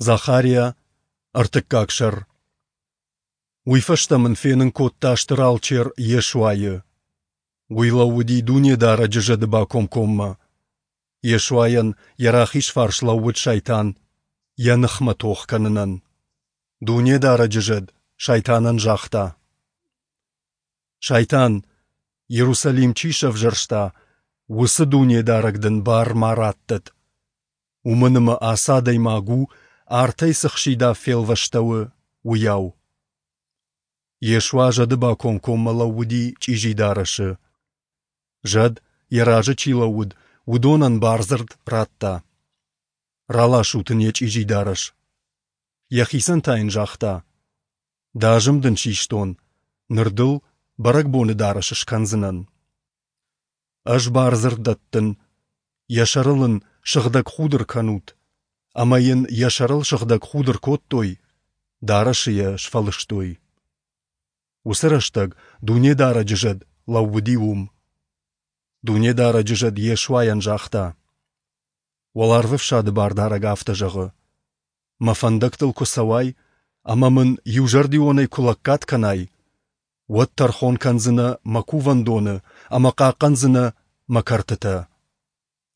Захариа, ӕртыккаг сӕр. Уый фӕстӕ мын фенын кодта стыр алчер Йешуайы. Уый лӕууыди Дунедарӕджы зӕды бакомкоммӕ. Йешуайӕн йӕ рахиз фарс лӕууыд сайтан, йӕ ныхмӕ тох кӕнынӕн. Дунедарӕджы зӕд сайтанӕн загъта: Сайтан, Иерусалим чи сӕвзӕрста, уыцы Дунедарӕг дын бар ма раттӕд. Уымӕн ӕмӕ ацы адӕймаг у, артӕй цы хсидав фелвӕстӕуы, уыйау. Йешуа зӕды бакомкоммӕ лӕууыди чъизи дарӕсы. Зӕд, йӕ разы чи лӕууыд, уыдонӕн бардзырд радта: «Раласут ын йӕ чъизи дарӕс». Йӕхицӕн та йын загъта: «Дӕ азым дын систон, ныр дыл бӕрӕгбоны дарӕс скӕндзынӕн». Ӕз бардзырд дӕттын, йӕ сӕрыл ын сыгъдӕг худ ӕркӕнут, ӕмӕ йын йӕ сӕрыл сыгъдӕг худ ӕркодтой, дарӕсы йӕ сфӕлыстой. Уыцы рӕстӕг Дунедарӕджы зӕд лӕууыди уым. Дунедарӕджы зӕд Йешуайӕн загъта: Уӕларвӕфсады Бардарӕг афтӕ зӕгъы: Мӕ фӕндӕгтыл куы цӕуай ӕмӕ мын иузӕрдионӕй куы лӕггад кӕнай, уӕд тӕрхон кӕндзынӕ мӕ кувӕндоны ӕмӕ хъахъхъӕндзынӕ мӕ кӕртытӕ.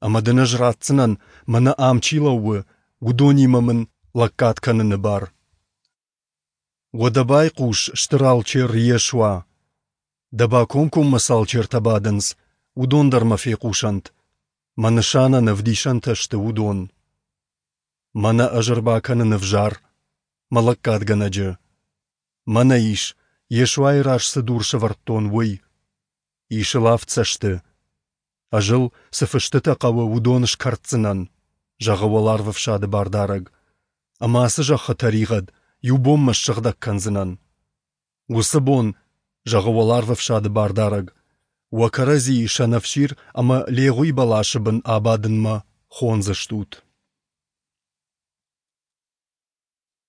Ӕмӕ дын ӕз ратдзынӕн, мӕнӕ ам чи лӕууы, уыдонимӕ мын лӕггад кӕныны бар. Уӕдӕ байхъус, стыр алчер Йешуа! Дӕ бакомкоммӕ цы алчертӕ бадынц, уыдон дӕр мӕ фехъусӕнт. Мӕ нысанӕн ӕвдисӕнтӕ сты уыдон. Мӕнӕ ӕз ӕрбакӕнын ӕвзӕр, мӕ лӕггадгӕнӕджы. Мӕнӕ ис, Йешуайы раз цы дур сӕвӕрдтон, уый. Ис ыл авд цӕсты. Ӕз ыл, цы фыстытӕ хъӕуы, уыдон скӕрддзынӕн, зӕгъы Уӕларвӕфсады Бардарӕг. Ӕмӕ ацы зӕххы тӕригъӕд иу бонмӕ ссыгъдӕг кӕндзынӕн. Уыцы бон, зӕгъы Уӕларвӕфсады Бардарӕг, уӕ кӕрӕдзийы сӕнӕфсир ӕмӕ легъуи бӕласы бын абадынмӕ хондзыстут.